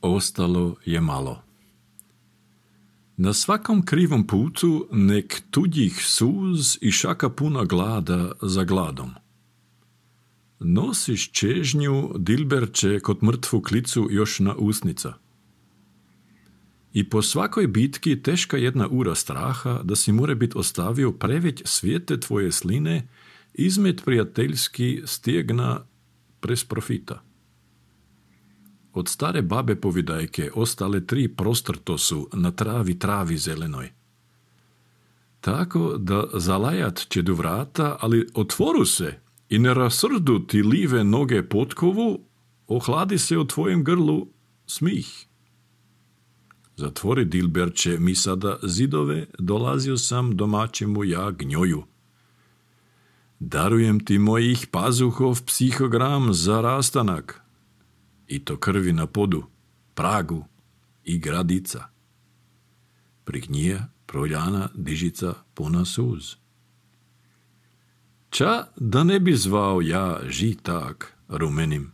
ostalo je malo. Na svakom krivom putu nek tuđih suz i šaka puna glada za gladom. Nosiš čežnju, dilberče, kod mrtvu klicu još na usnica. I po svakoj bitki teška jedna ura straha da si more bit ostavio preveć svijete tvoje sline izmet prijateljski stjegna prez profita. Od stare babe povidajke ostale 3 prostrto su na travi zelenoj. Tako da zalajat će do vrata, ali otvoru se i ne rasrdu ti live noge potkovu, ohladi se u tvojem grlu smih. Zatvori, dilberče, mi sada zidove, dolazio sam domaćemu ja gnjoju. Darujem ti mojih pazuhov psihogram za rastanak, i to krvi na podu, pragu i gradica. Prignija proljana dižica puna suz. Ča da ne bi zvao ja žitak rumenim